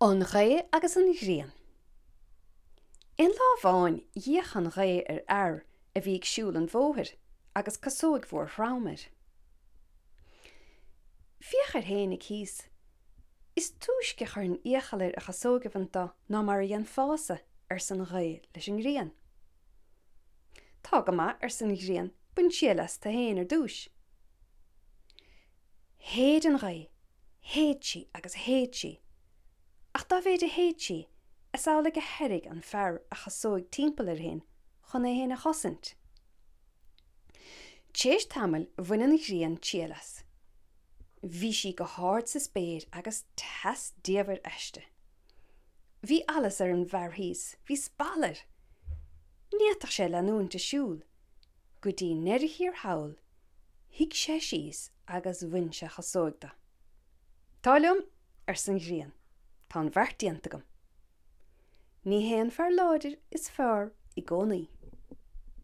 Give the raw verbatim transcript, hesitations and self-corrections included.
An Ghaoth agus an Ghrian. Aon lá amháin d'fhéach an ghaoth ar fhear a bhí ag siúl an bhóthair agus casóig mhór throm air. Féach air fhéinig thíos. Is túisce a chuireann iachall air a chasóg a bhaint dó ná mar a dhéanfása, arsa an ghaoth leis an ngrian. Tá go maith, arsa an ghrian, bain triail as tú fhéin ar dtúis. Shéid an ghaoth, shéid sí agus shéid sí. Ach dá mhéid a shéid sí, is amhlaidh a thairrig an fear a chasóig timpeall air féin chun é féin a chosaint. Tar éis tamaill bhain an ghrian triail as. Bhí sí go hard sa spéir agus teas diamhair aisti. Bhí allas ar an bhfear thíos, bhí spal air. Ní fhéadfadh sé leanúint ag siúl. Go dtí i ndeireadh thiar thall, shuigh sé síos agus bhain sé a chasóig de. Tá liom, arsa an ghrian, tá an bheart déanta agam. Ní hé an fear láidir is fearr i gcónaí.